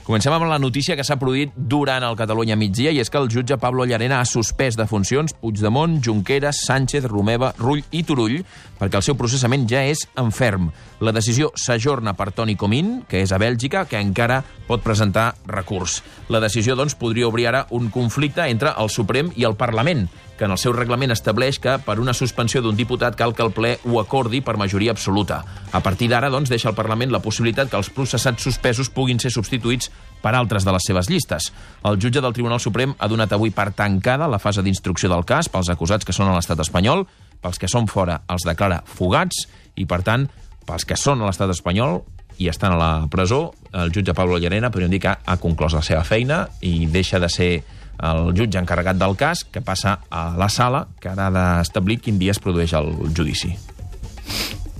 Comencem amb la notícia que s'ha produït durant el Catalunya migdia, i és que el jutge Pablo Llarena ha suspès de funcions Puigdemont, Junqueras, Sánchez, Romeva, Rull i Turull perquè el seu processament ja és en ferm. La decisió s'ajorna per Toni Comín, que és a Bèlgica, que encara pot presentar recurs. La decisió, doncs, podria obrir ara un conflicte entre el Suprem i el Parlament, que en el seu reglament estableix que per una suspensió d'un diputat cal que el ple ho acordi per majoria absoluta. A partir d'ara, doncs, deixa al Parlament la possibilitat que els processats suspesos puguin ser substituïts per altres de les seves llistes. El jutge del Tribunal Suprem ha donat avui per tancada la fase d'instrucció del cas pels acusats que són a l'estat espanyol, pels que són fora els declara fugats i, per tant, pels que són a l'estat espanyol i estan a la presó, el jutge Pablo Llarena podríem dir que ha conclòs la seva feina i deixa de ser el jutge encarregat del cas, que passa a la sala, que ara ha d'establir quin dia es produeix el judici.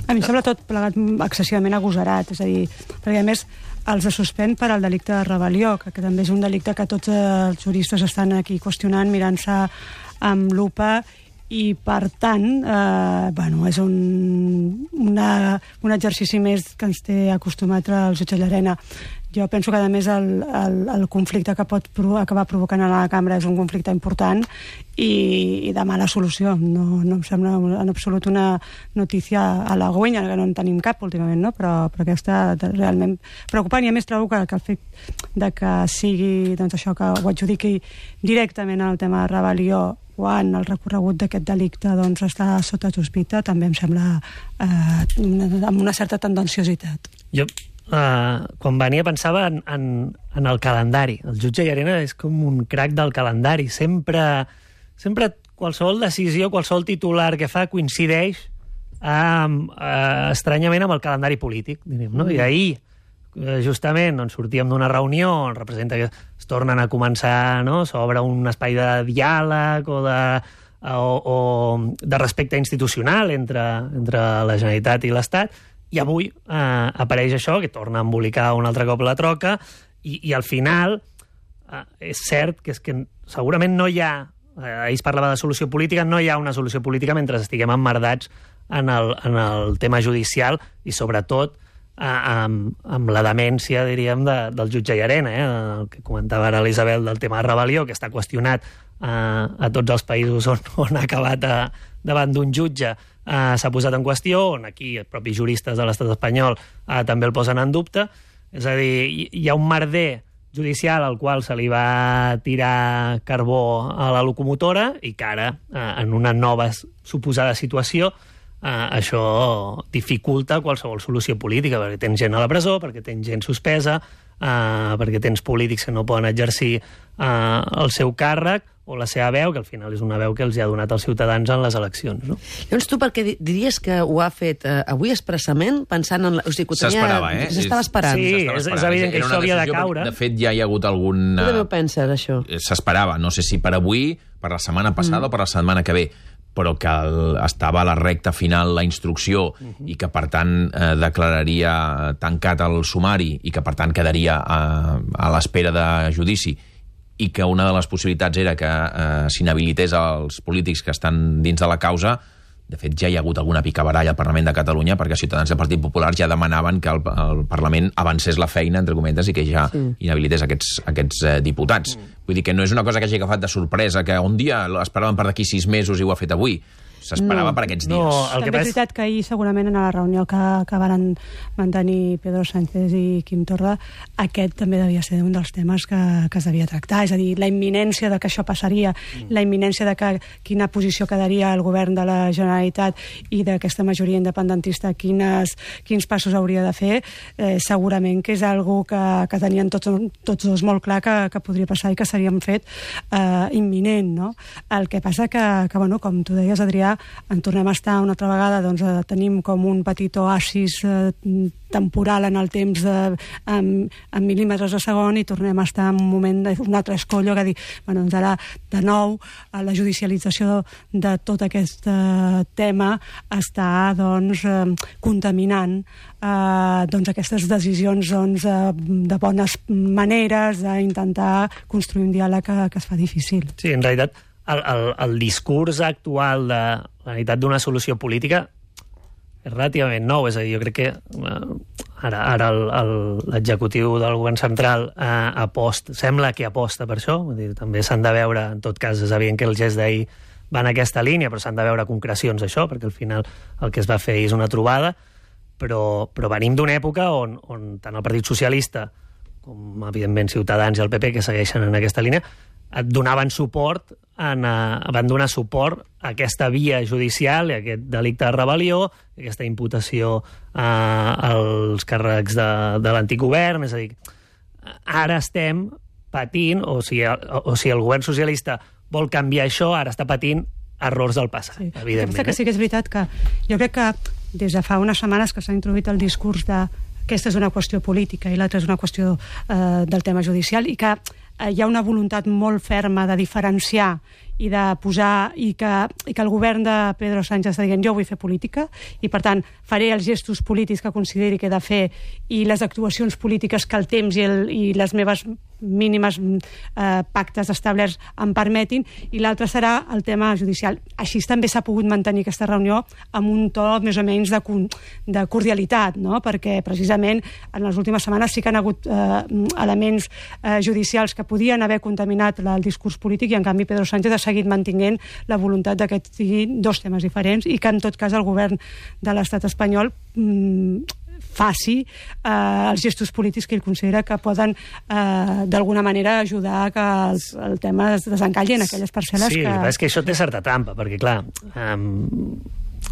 A mi em sembla tot plegat excessivament agosarat, és a dir, perquè a més els suspèn per al delicte de rebel·lió, que també és un delicte que tots els juristes estan aquí qüestionant, mirant-se amb lupa, i per tant, és un exercici més que ens té acostumat el jutge Llarena. Jo penso que, a més, el conflicte que pot acabar provocant a la cambra és un conflicte important i de mala solució. No em sembla en absolut una notícia halagüenya, que no en tenim cap últimament, no? Però aquesta realment preocupant, i a més trobo que el fet de que sigui, doncs, això, que ho adjudiqui directament al tema de rebel·lió quan el recorregut d'aquest delicte, doncs, està sota sospita, també em sembla amb una certa tendenciositat. Jo, quan venia, pensava en el calendari. El jutge Llarena és com un crac del calendari. Sempre qualsevol decisió, qualsevol titular que fa coincideix estranyament amb el calendari polític, diríem, no? I ahir, justament, doncs, sortíem d'una reunió on representa que es tornen a començar, no? S'obre un espai de diàleg o de respecte institucional entre la Generalitat i l'Estat, i avui apareix això, que torna a embolicar un altre cop la troca, i al final és cert que segurament no hi ha, ahir es parlava de solució política, no hi ha una solució política mentre estiguem emmerdats en el tema judicial i, sobretot, amb la demència, diríem, del jutge Llarena, el que comentava ara l'Isabel del tema de rebel·lió, que està qüestionat a tots els països on ha acabat davant d'un jutge, s'ha posat en qüestió, on aquí els propis juristes de l'estat espanyol també el posen en dubte. És a dir, hi ha un merder judicial al qual se li va tirar carbó a la locomotora i que ara, en una nova suposada situació, això dificulta qualsevol solució política, perquè tens gent a la presó, perquè tens gent suspesa, perquè tens polítics que no poden exercir el seu càrrec o la seva veu, que al final és una veu que els ha donat als ciutadans en les eleccions, no? Llavors, tu per què diries que ho ha fet avui expressament, pensant en... S'esperava, S'estava esperant. Sí, és evident que això havia de caure. De fet, ja hi ha hagut algun... Tu també ho penses, això? S'esperava, no sé si per avui, per la setmana passada o per la setmana que ve, però que estava a la recta final la instrucció i que, per tant, declararia tancat el sumari i que, per tant, quedaria a l'espera de judici, i que una de les possibilitats era que s'inhabilités els polítics que estan dins de la causa. De fet, ja hi ha hagut alguna picabaralla al Parlament de Catalunya perquè ciutadans del Partit Popular ja demanaven que el Parlament avancés la feina, entre cometes, i que ja inhabilités aquests diputats. Vull dir que no és una cosa que hagi agafat de sorpresa, que un dia l'esperaven per d'aquí 6 mesos i ho ha fet avui. S'esperava per aquests dies. També és veritat que ahir, segurament, a la reunió que van mantenir Pedro Sánchez i Quim Torra, aquest també devia ser un dels temes que es devia tractar. És a dir, la imminència de que això passaria, la imminència de quina posició quedaria el govern de la Generalitat i d'aquesta majoria independentista, quins passos hauria de fer, segurament que és algo que tenien tots dos molt clar que podria passar i que s'havien fet imminent, no? El que passa que, com tu deies, Adrià, en tornem a estar una altra vegada, doncs tenim com un petit oasis temporal en el temps en mil·límetres a segon i tornem a estar en un moment d'un altre escollo que dir, doncs ara de nou la judicialització de tot aquest tema està contaminant aquestes decisions de bones maneres d'intentar construir un diàleg que es fa difícil. Sí, en realitat el discurs actual de la necessitat d'una solució política relativament nou, és a dir, jo crec que ara l'executiu del govern central sembla que aposta per això, vull dir, també s'han de veure, en tot cas és evident que el gest d'ahir va en aquesta línia, però s'han de veure concrecions d'això, perquè al final el que es va fer és una trobada, però venim d'una època on tant el Partit Socialista com, evidentment, Ciutadans i el PP, que segueixen en aquesta línia, et donaven suport, van donar suport a aquesta via judicial, a aquest delicte de rebel·lió, a aquesta imputació als càrrecs de l'antic govern. És a dir, ara estem patint, o si el govern socialista vol canviar això, ara està patint errors del passat, evidentment. Que sí que és veritat que jo crec que des de fa unes setmanes que s'ha introduït el discurs de aquesta és una qüestió política i l'altra és una qüestió del tema judicial, i que hi ha una voluntat molt ferma de diferenciar i de posar, i que el govern de Pedro Sánchez està dient jo vull fer política i per tant faré els gestos polítics que consideri que he de fer i les actuacions polítiques que el temps i les meves mínimes pactes establerts em permetin, i l'altre serà el tema judicial. Així també s'ha pogut mantenir aquesta reunió amb un to més o menys de cordialitat, no? Perquè precisament en les últimes setmanes sí que han hagut elements judicials que podien haver contaminat el discurs polític, i en canvi Pedro Sánchez ha seguit mantinguent la voluntat que siguin dos temes diferents i que en tot cas el govern de l'estat espanyol faci els gestos polítics que ell considera que poden d'alguna manera ajudar a que el tema es desencalli en aquelles parcel·les que... Sí, és que això té certa trampa, perquè clar,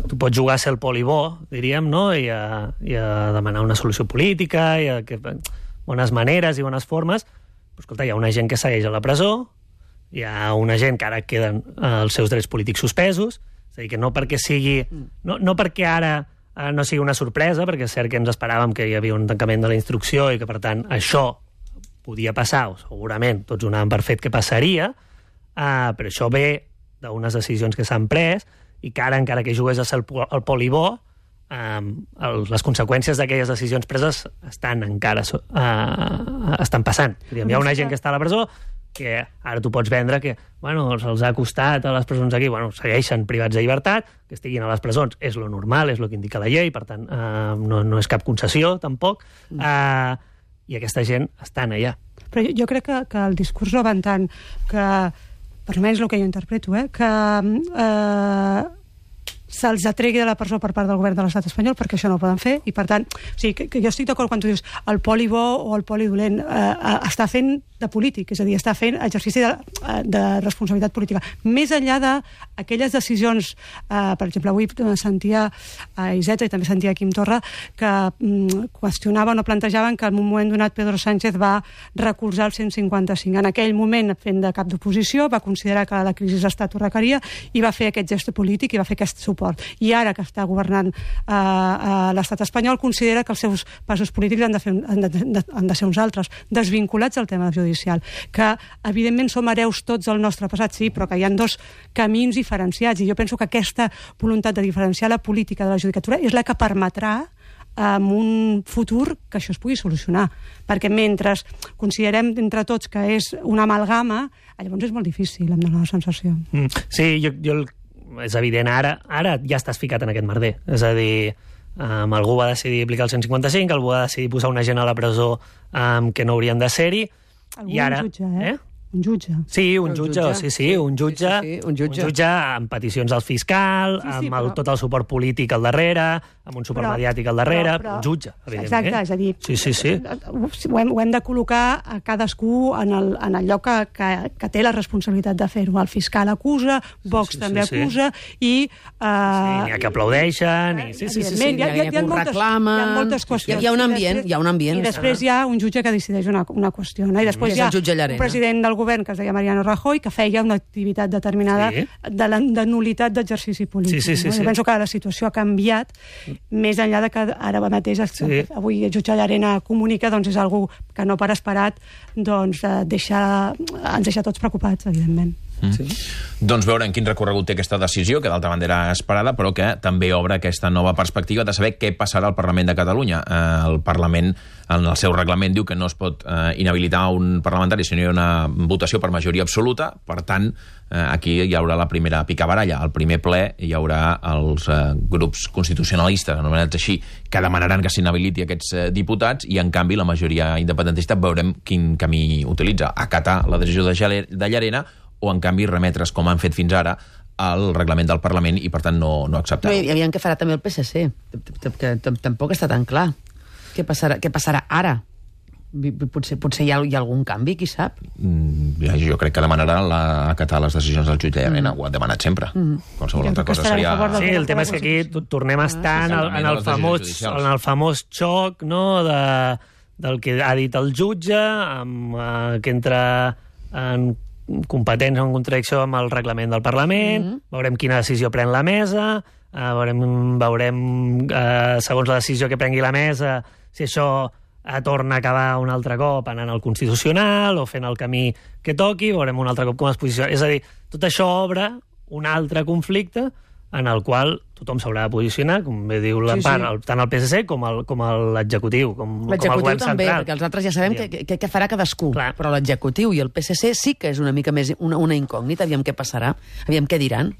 tu pots jugar a ser el polibó, diríem, no? I a demanar una solució política, i a bones maneres i bones formes, però escolta, hi ha una gent que segueix a la presó, hi ha una gent que ara queden els seus drets polítics suspesos, és a dir, que no perquè sigui... No perquè ara no sigui una sorpresa, perquè és cert que ens esperàvem que hi havia un tancament de la instrucció i que, per tant, això podia passar, o segurament tots donàvem per fet que passaria, però això ve d'unes decisions que s'han pres i que ara, encara que jugués a ser el polibó, les conseqüències d'aquelles decisions preses estan passant. Hi ha una gent que està a la presó que ara tu pots vendre que se'ls ha costat a les presons aquí, segueixen privats de llibertat, que estiguin a les presons és lo normal, és lo que indica la llei, per tant no és cap concessió tampoc, i aquesta gent estan allà. Però jo crec que el discurs no va en tant que, per almenys el que jo interpreto, que se'ls atregui de la presó per part del govern de l'estat espanyol, perquè això no ho poden fer, i per tant, o sigui, que jo estic d'acord quan tu dius el poli bo o el poli dolent, està fent de polític, és a dir, està fent exercici de responsabilitat política. Més enllà d'aquelles decisions, per exemple, avui sentia a Iceta i també sentia a Quim Torra que qüestionaven o plantejaven que en un moment donat Pedro Sánchez va recolzar el 155. En aquell moment, fent de cap d'oposició, va considerar que la crisi d'estat ho requeria i va fer aquest gest polític i va fer aquest suport. I ara que està governant l'estat espanyol considera que els seus passos polítics han de ser uns altres, desvinculats del tema judicial, que evidentment som hereus tots del nostre passat, sí, però que hi ha dos camins diferenciats, i jo penso que aquesta voluntat de diferenciar la política de la judicatura és la que permetrà en un futur que això es pugui solucionar, perquè mentre considerem entre tots que és una amalgama, llavors és molt difícil, em dóna la sensació. Sí, jo és evident, ara ja estàs ficat en aquest merder. És a dir, algú va decidir aplicar el 155, algú va decidir posar una gent a la presó que no haurien de ser-hi, i ara... Un jutge. Sí, un jutge. Un jutge amb peticions al fiscal, amb tot el suport polític al darrere, amb un suport mediàtic al darrere, un jutge, evidentment. Exacte, és a dir, sí. Ho hem de col·locar a cadascú en el lloc que té la responsabilitat de fer-ho. El fiscal acusa, Vox també acusa, i... N'hi ha que aplaudeixen, evidentment, hi ha moltes qüestions. Hi ha un ambient. I després hi ha un jutge que decideix una qüestió, i després hi ha un president del govern que es deia Mariano Rajoy, que feia una activitat determinada de nul·litat d'exercici polític. Jo penso que la situació ha canviat, més enllà de que ara mateix avui el jutge Llarena comunica, doncs és algú que no per esperat ens deixa tots preocupats, evidentment. Sí. Doncs veurem quin recorregut té aquesta decisió, que d'altra banda era esperada, però que també obre aquesta nova perspectiva de saber què passarà al Parlament de Catalunya. El Parlament, en el seu reglament, diu que no es pot inhabilitar un parlamentari si no hi ha una votació per majoria absoluta. Per tant, aquí hi haurà la primera picabaralla. Al primer ple hi haurà els grups constitucionalistes, anomenats així, que demanaran que s'inhabiliti aquests diputats, i en canvi la majoria independentista veurem quin camí utilitza. Acatar la decisió de Llarena, o en canvi remetre's, com han fet fins ara, al reglament del Parlament i per tant no acceptar-ho. I aviam què farà també el PSC, que tampoc està tan clar. Què passarà ara? Potser hi ha algun canvi, qui sap? Jo crec que demanarà acatar les decisions del jutge Llarena, ho han demanat sempre. Qualsevol altra cosa seria... Sí, el tema és que aquí tornem a estar en el famós xoc, no?, del que ha dit el jutge, que entra en competents en contradicció amb el reglament del Parlament, veurem quina decisió pren la mesa, veurem segons la decisió que prengui la mesa, si això torna a acabar un altre cop anant al Constitucional o fent el camí que toqui, veurem un altre cop com es posiciona. És a dir, tot això obre un altre conflicte en el qual tothom s'haurà de posicionar, com bé diu l'Empar, tant el PSC com l'executiu, com el govern central. L'executiu també, perquè els altres ja sabem què farà cadascú, però l'executiu i el PSC sí que és una mica més una incògnita, aviam què passarà, aviam què diran.